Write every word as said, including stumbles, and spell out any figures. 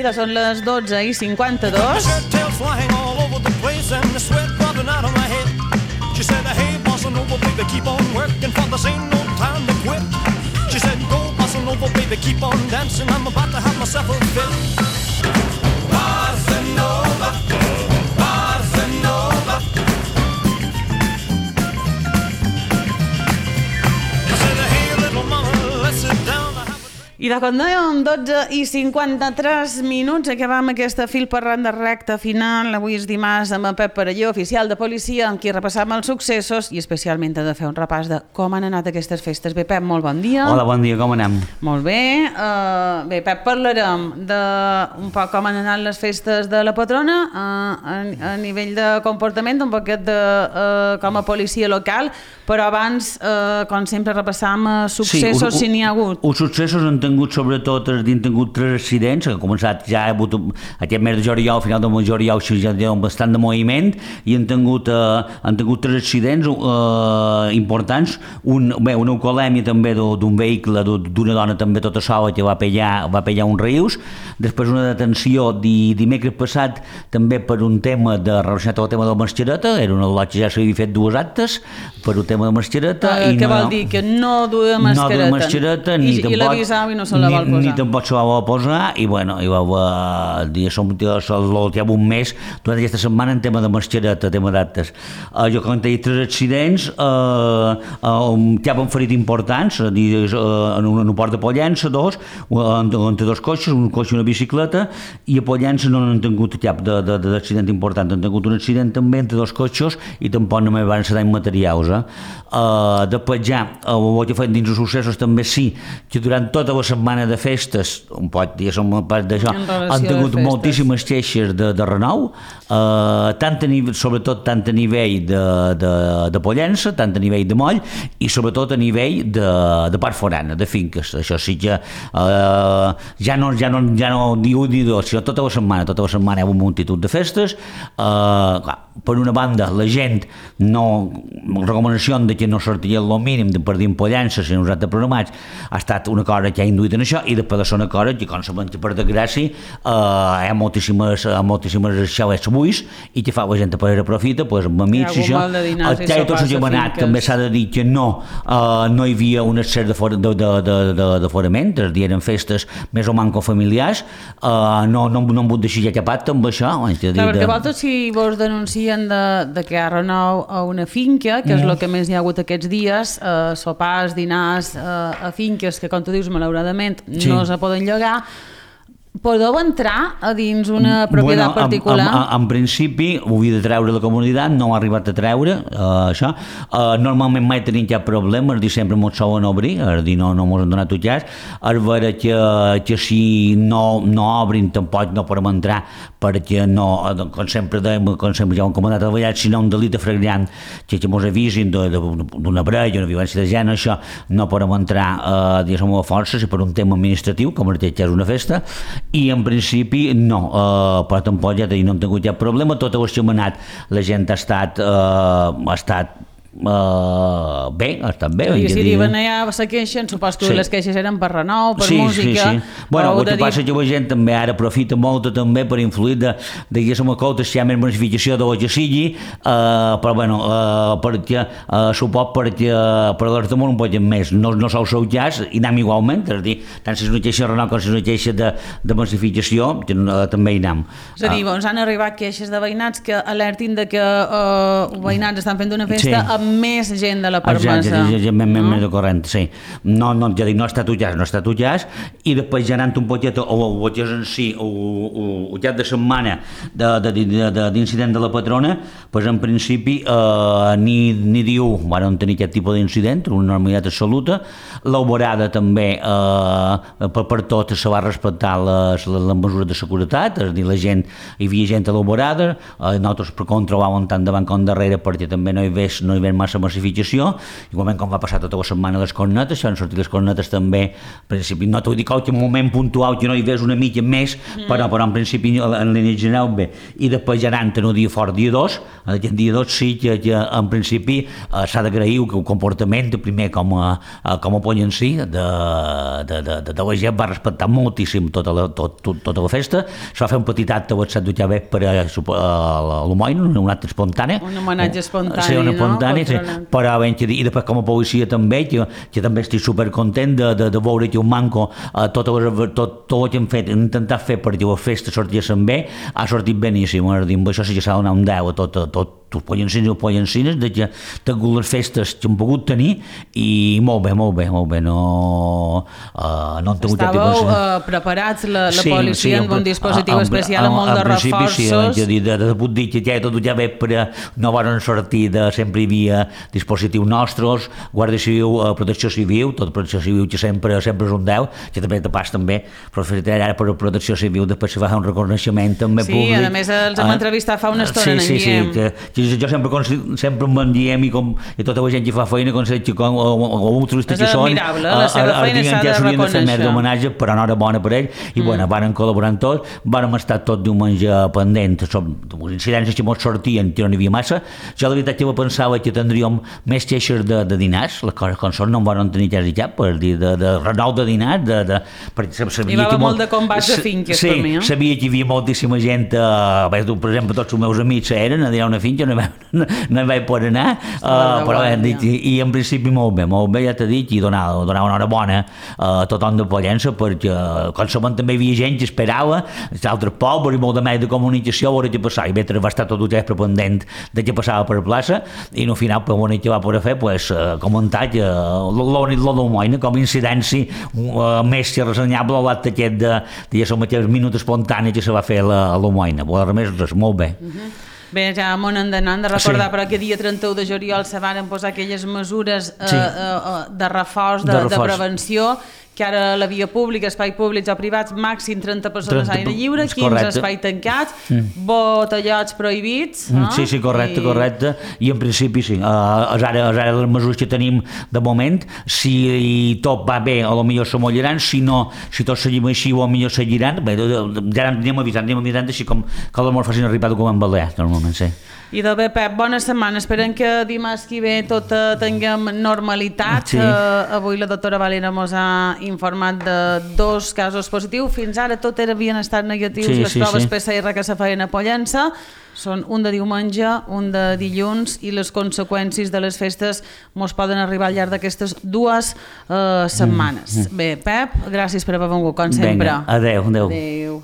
Mira, són les dotze i cinquanta-dos. She said, hey, bossa nova, baby, keep on working, for this ain't no time to quit. She said, go, bossa nova, baby, keep on dancing, I'm about to have myself a fit. Bossa nova, bossa nova. She said, hey, little mama, let's sit down. I de quan dèiem dotze i cinquanta-tres minuts acabam aquesta fil parlant de recta final. Avui és dimarts amb en Pep Perelló, oficial de policia, amb qui repassam els successos i especialment ha de fer un repàs de com han anat aquestes festes. Bé, Pep, molt bon dia. Hola, bon dia, com anem? Molt bé. Uh, bé, Pep, parlarem de un poc com han anat les festes de la patrona uh, a, a nivell de comportament, un poquet de, uh, com a policia local, però abans, uh, com sempre, repassam uh, successos, sí, si n'hi ha hagut. Els successos han tingut, sobretot, han tingut tres accidents, que han començat ja ha hagut aquest mes de juliol, al final del mes de juliol, ja hi ha bastant de moviment, i han tingut, uh, han tingut tres accidents uh, importants. Un, bé, una alcoholèmia també d'un vehicle, d'una dona també tota sola que va pillar, va pillar uns rius. Després una detenció di, dimecres passat també per un tema de, relacionat amb el tema de la mascareta, era una lot que ja s'havia fet dues actes per un tema de mascareta. Uh, què no, vol dir? Que no duia mascareta? No duia mascareta, ni I, tampoc... I l'avisava i no se la vol posar? Ni tampoc se la vol posar, i bueno, i va dir, som l'últim un mes, durant aquesta setmana en tema de mascareta, tema d'actes. Uh, jo com he dit, tres accidents, uh, uh, que han ferit importants, uh, en un aeroport de Pollença, dos, entre dos cotxes, un cotxe i una bicicleta, i a Pollença no han tingut cap d'accident important, han tingut un accident també entre dos cotxes i tampoc només van ser danys materials. Eh? Uh, després ja, el que fet dins els successos també sí, que durant tota la setmana de festes, un pot dir, som a part d'això, han tingut moltíssimes queixes de, de renou, uh, tant a nivell, sobretot tant a nivell de, de, de Pollença, tant a nivell de Moll, i sobretot a nivell de, de part forana, de finques. Això sí que uh, ja no, ja no, ja no diu ni dos, sinó tota la setmana, tota la setmana hi ha una multitud de festes. Uh, clar, per una banda, la gent no, recomanació de que no sortia el mínim de per dir en Pollença, si nosaltres programats, ha estat una cosa que ha induït en això, i després de ser una cosa que, com sabem que per desgràcia, eh, hi ha moltíssimes, moltíssimes xalets buits, i que fa la gent per aprofita, pues, amb amics i això. El que tots els demanat també s'ha de dir que no, eh, no hi havia un excés d'aforament, és a dir, eren festes més o manco familiars, eh, no, no, no hem hagut de xillar capat amb això. Clar, perquè vosaltres si vos denuncien de, de que hi ha renou a una finca, que és el que més hi ha hagut aquests dies, eh, sopars, dinars eh, a finques que, com tu dius, malauradament no sí. se poden llogar, podeu entrar a dins una propietat bueno, particular? En, en, en principi ho havia de treure la comunitat, no ha arribat a treure uh, això. Uh, normalment mai tenim cap problema, és dir, sempre ens solen obrir, és dir, no, no ens han donat tutjats. És vera que, que si no, no obrin tampoc no podem entrar, perquè no, com sempre dèiem, com sempre ja ho hem comentat a vegades, si no un delit flagrant que, que ens avisin d'una parella, una violència de gènere, això no podem entrar uh, diguéssim, a força, si per un tema administratiu, com que és una festa, i en principi no, uh, però tampoc ja no hem tingut cap problema. Tot el que hem anat la gent ha estat, uh, ha estat Uh, bé, ha estat bé. I si diuen allà se queixen, supos que sí. les queixes eren per renou, per sí, música. Sí, sí. Bueno, el que passa és que la gent també ara aprofita molt també per influir de, de que som a comptes si hi ha més bonificació de lo que sigui, uh, però bueno, uh, perquè uh, supos perquè uh, per l'hora de món un poc més, no, no sou sou jazz i anem igualment, és a dir, tant si és una queixa de renou com si és una queixa de, de massificació, que, uh, també hi anem. És a dir, uh, doncs han arribat queixes de veïnats que alertin de que uh, veïnats estan fent una festa sí. amb més gent de la permesa. Ja, ja, ja, més, no? més de corrent, sí. No, no, ja dic, no està tutjàs, no està tutjàs, i després ja anant un poquet o el que és en si, el cap de setmana d'incident de la patrona, doncs en principi eh, ni, ni diu van tenir aquest tipus d'incident, una normalitat absoluta. L'alborada també, eh, per, per tot, se va respectar les, les, les mesures de seguretat, és a dir, la gent, hi havia gent a l'alborada, eh, nosaltres per controlar-ho tant davant com darrere perquè també no hi ves, no hi ves haver massa massificació, igualment com va passar tota la setmana les cornetes, si han sortit les cornetes també, en principi, no t'ho dic que en un moment puntual que no hi ves una mica més, mm. però, però en principi en línia general bé, i després ja anant en un dia fort, dia dos, en aquest dia dos sí que, que en principi eh, s'ha d'agrair que el comportament, primer com a, com a poll en si, de, de, de, de, de la gent va respectar moltíssim tota la, tot, tot, tota la festa, es va fer un petit acte a set d'Utja bé per a, a l'Homoin, un acte espontani. Un homenatge espontani, sí, un espontani, no? Sí, però ben, que, i després com a policia també, que, que també estic supercontent de, de, de veure que un manco eh, tot, tot, tot el que hem fet, hem intentat fer perquè la festa sortissin bé, ha sortit beníssim, amb això sí que s'ha de donar un deu a tot, tot els pollancins i els pollancines, de que totes les festes que hem pogut tenir, i molt bé, molt bé, molt bé, no, uh, no han tingut Estàveu tipus... uh, preparats, la, la sí, policia, sí, amb un dispositiu a, especial amb molt de reforços. Sí, de, de, de, de puc dir que ja tot ja bé, però no van sortir de... Sempre hi havia dispositius nostres, Guàrdia Civil, uh, Protecció Civil, tot Protecció Civil que sempre, sempre és un deu, que també te pas també, però ara per Protecció Civil després se va fer un reconeixement també sí, públic. Sí, a més els hem uh, entrevistat fa una estona, sí, sí, sí, que, que jo sempre, sempre em diem i, com, i tota la gent que fa feina com que com, o, o, o un turista que són la seva feina s'ha de reconèixer, més d'homenatge, però enhorabona per ell i mm. bueno, van col·laborant tots, vam estar tot diumenge pendents sobre les incidències que ens sortien, que no n'hi havia massa. Jo la veritat que pensava que tindríem més queixes de, de dinars, les coses com són no en van tenir quasi cap, per dir, de, de renou de dinars, de, de, perquè sabia hi va que molt de combats de finques sí, per mi, eh? Sabia que hi havia moltíssima gent, eh, per exemple, tots els meus amics eren a dir una finca, no, no, no hi vaig poder anar, uh, però hem dit, i, i en principi molt bé, molt bé, ja t'he dit, i donar, donar una hora bona a tothom de Pollença, perquè com sabem també hi havia gent que esperava, d'altres pobles i molt de més de comunicació, a veure què passava, i mentre va estar tot el temps pendent de què passava per la plaça, i no al final, per l'únic que va poder fer, pues, uh, comentar que l'únic lo d'Almoina, com a incidència uh, més que ressenyable a l'acte aquest de, de ja som aquells minuts espontanis que se va fer a l'Almoina, però a més, res, molt bé. Uh-huh. Bé, ja m'ho han d'anar, hem de recordar sí. però que dia trenta-u de juliol se van posar aquelles mesures eh, sí. eh, de reforç, de, de, reforç. de prevenció, que ara la via pública, espai públics o privats, màxim trenta persones a l'aire lliure, quinze espai tancat, mm. botellots prohibits. Mm, no? Sí, sí, correcte, I... correcte. I en principi sí, uh, és ara, és ara les mesures que tenim de moment, si tot va bé, a lo millor se mollaran, si no, si tot seguim així, o millor seguiran, bé, ja anem avisant, anem avisant així com que l'amor facin arribar document balear, normalment, sí. I de bé, Pep, bona setmana. Esperem que dimarts que ve tot eh, tinguem normalitat. Sí. Eh, avui la doctora Valera ens ha informat de dos casos positius. Fins ara tot havien estat negatius, sí, les sí, proves sí. P C R que se feien a Pollença. Són un de diumenge, un de dilluns, i les conseqüències de les festes ens poden arribar al llarg d'aquestes dues eh, setmanes. Mm. Bé, Pep, gràcies per haver vingut, com sempre. Vinga, adeu, adeu. Adeu.